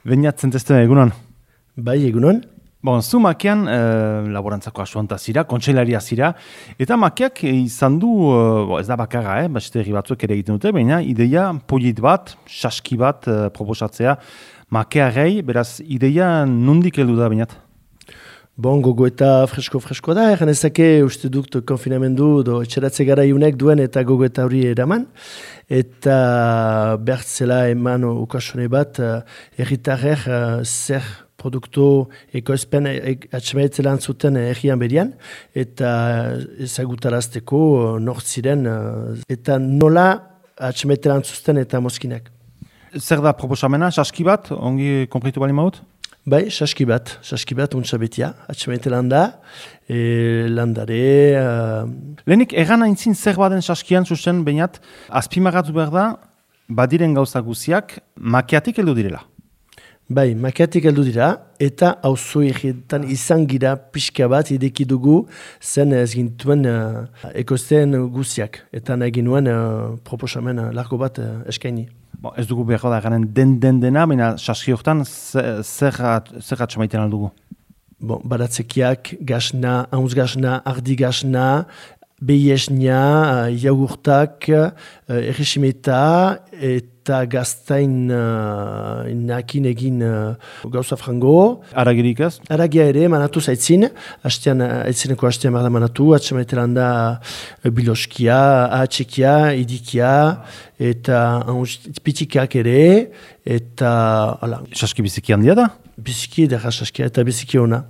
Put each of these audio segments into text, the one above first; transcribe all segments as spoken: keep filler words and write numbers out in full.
Beñatzen testu egunon. Bai, egunon. Bon, zu makean e, laborantzako asuanta zira, kontseilaria zira, eta makeak izan du, e, ez da bakarra, eh, beste herri batzuk ere egiten dute, baina ideia polit bat, saski bat e, proposatzea makearei, beraz, ideia nondik heldu da, Beñat? Bon, gogo eta fresko-fresko da, egan ezake uste dut konfinamendu do etxeratze gara iunek duen eta gogo eta hori eraman. Eta bertzela eman ukasone bat, erritarrer zer produktu ekoizpen atxemaitzela antzuten errian berian, eta ezagutarazteko nort ziren, eta nola atxemaitzela antzuten eta mozkinak. Zer da proposamena, saski bat, ongi konpritu bali maut? Bai, saski bat, saski bat untsa betia, atxemaite landa, e, landare... Uh... Lehenik, egan aintzin zer baden saskian zuzen, Beñat, azpimagatu behar da, badiren gauza guziak, makeatik heldu direla. Bai, makeatik heldu dira, eta auzo egietan izan gira pixka bat ideki dugu zen ez gintuen uh, ekoizten guziak, eta nahi ginuen uh, proposamen uh, largo bat uh, eskaini. Bon, ez dugu behar da garen den den dena, baina saski hortan zer atxamaiten aldugu? Bon, baratzekiak, gasna, haunz gasna, ardi gasna, behiesna, jagurtak, erresimeta, eta gaztain uh, nakin egin uh, gauza frango. Aragirik ez? Aragia ere, manatu zaitzin, hastean, aitzineko hastean barda manatu, atxamaitelan da biloskia, ahatsekia, idikia, eta pitikak ere, eta... Ala. Saski biziki handia da? Biziki edera saskia, eta biziki ona.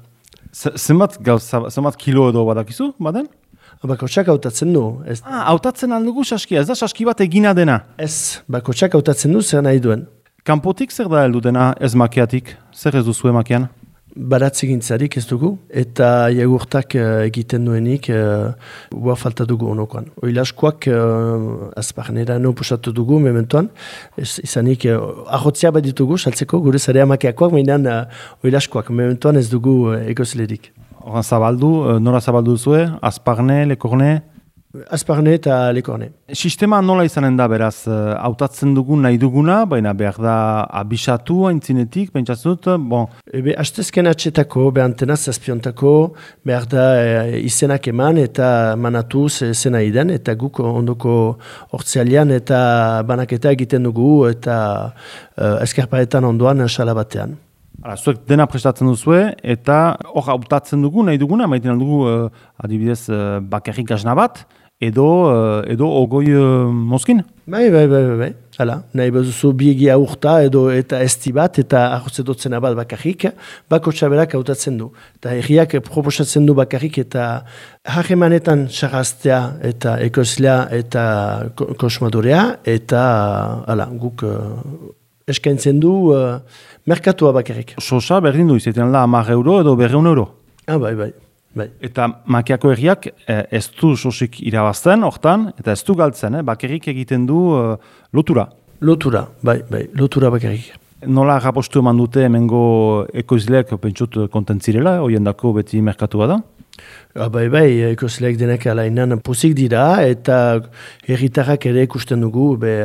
Zenbat gauza, zenbat kilo edo badakizu, baden? Bakotxak hautatzen du. Ez... Ah, hautatzen aldugu saskia, ez da saski bat egina dena? Ez, bakotxak hautatzen du zer nahi duen. Kanpotik zer da heldu dena ez makeatik? Zer ez duzu makean? Baratze gintzarik ez dugu, eta jagurtak uh, egiten duenik uh, ua falta dugu honokoan. Oilaskoak uh, azparnera no pusatu dugu mementoan, ez, izanik uh, ahotzia bat ditugu, saltzeko, gure zarea makeakoak, mainan uh, oilaskoak mementoan ez dugu uh, egozlerik. Horan zabaldu, nora zabaldu zuen, azparne, lekorne? Azparne eta lekorne. Sistema nola izanen da, beraz, hautatzen dugun nahi duguna, baina behar da abisatu haintzinetik, pentsatzut, bon. Ebe, hastezken atxetako, behantena zazpiontako, behar da e, izenak eman eta manatu zena idan, eta guk ondoko hortzealian eta banaketa egiten dugu, eta uh, eskerparetan ondoan salabatean. Hala, zuek dena prestatzen duzue, eta hor hautatzen dugu, nahi duguna, maiten aldugu, uh, adibidez, uh, bakarrik gasna bat, edo, uh, edo ogoi uh, mozkin? Bai, bai, bai, bai, bai. Hala, nahi bazuzu biegia urta edo eta esti bat, eta ahotzedotzen bat bakarrik, bako txaberak hautatzen du. Eta erriak proposatzen du bakarrik, eta harremanetan sarraztea, eta ekoizlea, eta kosmadorea, eta hala, guk uh, eskaintzen du uh, merkatua bakarrik. Sosa berdin du, izaten da hamar euro edo berreun euro. Ah, bai, bai. Bai. Eta makeako herriak eh, ez du sosik irabazten, hortan, eta ez du galtzen, eh, bakarrik egiten du eh, lotura. Lotura, bai, bai, lotura bakarrik. Nola rapostu eman dute hemengo ekoizleak pentsut kontentzirela, hoien dako beti merkatua da? Ah, bai, bai, ekoizleak denak alainan pozik dira, eta herritarrak ere ikusten dugu, be,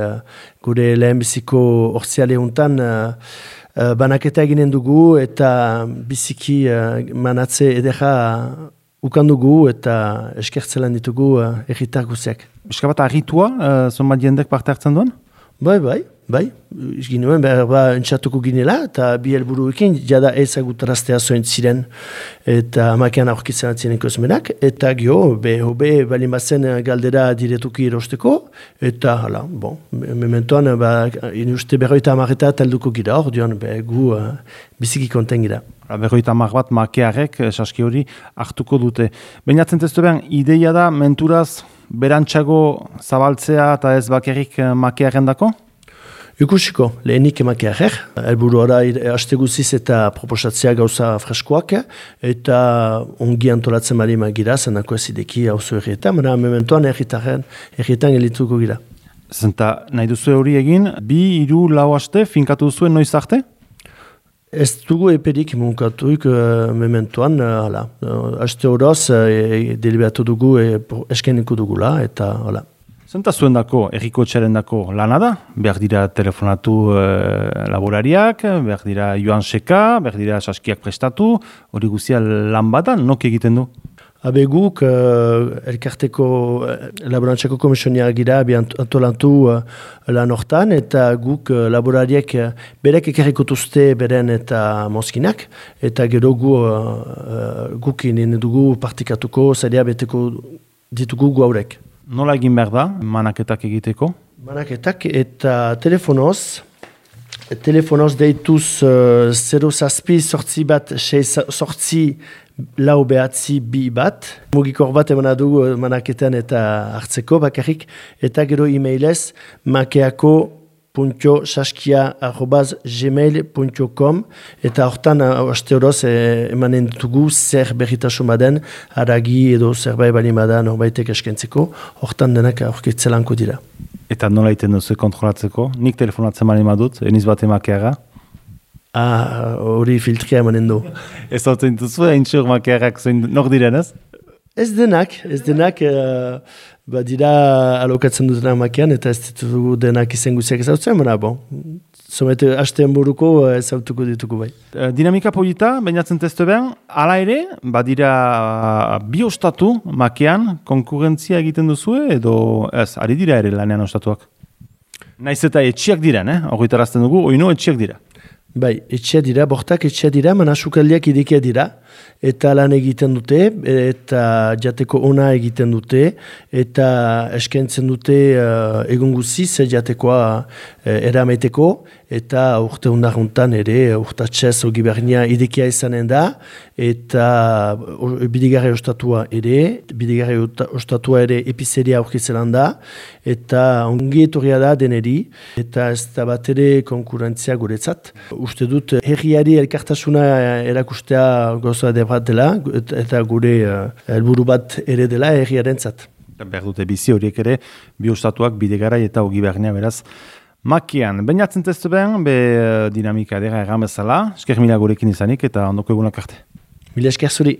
gure lehenbiziko orziale hontan, uh, Uh, banaketa eginen dugu eta biziki uh, manatze edera ukan dugu eta eskertzelan ditugu uh, erritar guziak. Eska bat arritua, uh, zonbat jendek parte hartzen duen? Bai, bai, bai. Ginuen behar ba entxatuko ginela eta bi helburuekin jada ezagutaraztea zoin ziren eta amakean aurkitzen atzien ekoizmenak eta gio, be, hobe, balin bazen galdera diretuki erosteko eta hala, bon, mementoan ba, inuste berroita amareta talduko gira hor, dion, be, gu uh, biziki konten gira. Berroita amar bat makearek, saski hori, hartuko dute. Bainatzen testu behan, ideia da menturaz berantxago zabaltzea eta ez bakarrik makearen dako? Ikusiko, lehenik emakearrer, helburu ara haste guziz eta proposatzea gauza freskoak, eta ongi antolatzen bali magira, zenako ez ideki hauzo errietan, baina mementoan erritarren, errietan elituko gira. Zenta, nahi duzu hori egin, bi, hiru, lau haste, finkatu duzuen noiz arte? Ez dugu eperik munkatuik uh, mementoan, hala. Uh, haste horoz, uh, deliberatu dugu, uh, eskeniko dugula, eta hala. Zenta zuen dako, erriko txaren dako lana da? Behar dira telefonatu e, laborariak, behar dira joan seka, behar dira saskiak prestatu, hori guztia lan badan, nok egiten du? Habe guk, uh, elkarteko uh, laborantzako komisionia gira, bi antolantu uh, lan hortan, eta guk uh, laborariek uh, berek ekarrikotuzte beren eta mozkinak, eta gero gu, uh, uh, guk inen dugu partikatuko, zaila beteko ditugu gu haurek. Nola egin behar da, manaketak egiteko? Manaketak eta telefonoz, telefonoz deituz uh, zero zazpi sortzi bat, sei sortzi lau behatzi bi bat. Mugikor bat emana dugu manaketan eta hartzeko bakarrik, eta gero e-mailez makeako punto saskia arrobaz gmail punto com, eta hortan aste horoz eh, emanen dugu zer berritasun baden, haragi edo zerbait bali badan norbaitek eskentzeko, hortan denak aurkitzelanko dira. Eta nola iten duzu kontrolatzeko? Nik telefonatzen mali madut, eniz bat emakeaga? Ah, hori filtria emanen du. Ez hau zintuzu, hain txur makeagak zoin nor diren ez? Ez denak, ez denak, uh, ba dira alokatzen dutena makean, eta ez ditugu denak izen guziak ezautzen, baina bon, somete hastean buruko ezautuko dituko bai. Dinamika polita, bainatzen testu behan, ala ere, badira bi ostatu makean konkurrentzia egiten duzue, edo ez, ari dira ere lanean ostatuak? Naiz eta etxiak diren, eh? Horritarazten dugu, oino etxiak dira. Bai, etxea dira, bortak etxea dira, mana sukaldiak irekia dira, eta lan egiten dute, eta jateko ona egiten dute, eta eskaintzen dute uh, egun guziz jatekoa uh, erameteko, eta urte undaruntan ere, urtatxez ogibernia irekia izanen da, eta uh, bidigarri ostatua ere, bidigarri ostatua ere epizeria aurkizelan da, eta ongi etorria da deneri, eta ez da bat ere konkurentzia guretzat. Uste dut, herriari elkartasuna erakustea goza de bat dela, eta gure helburu uh, bat ere dela herriarentzat. Behar dute bizi horiek ere, bi ostatuak bidegarai eta ogi behar beraz. Makian, bainatzen testu behan, be dinamika dira erran bezala, esker mila gurekin izanik eta ondoko egunak arte. Mila esker zuri.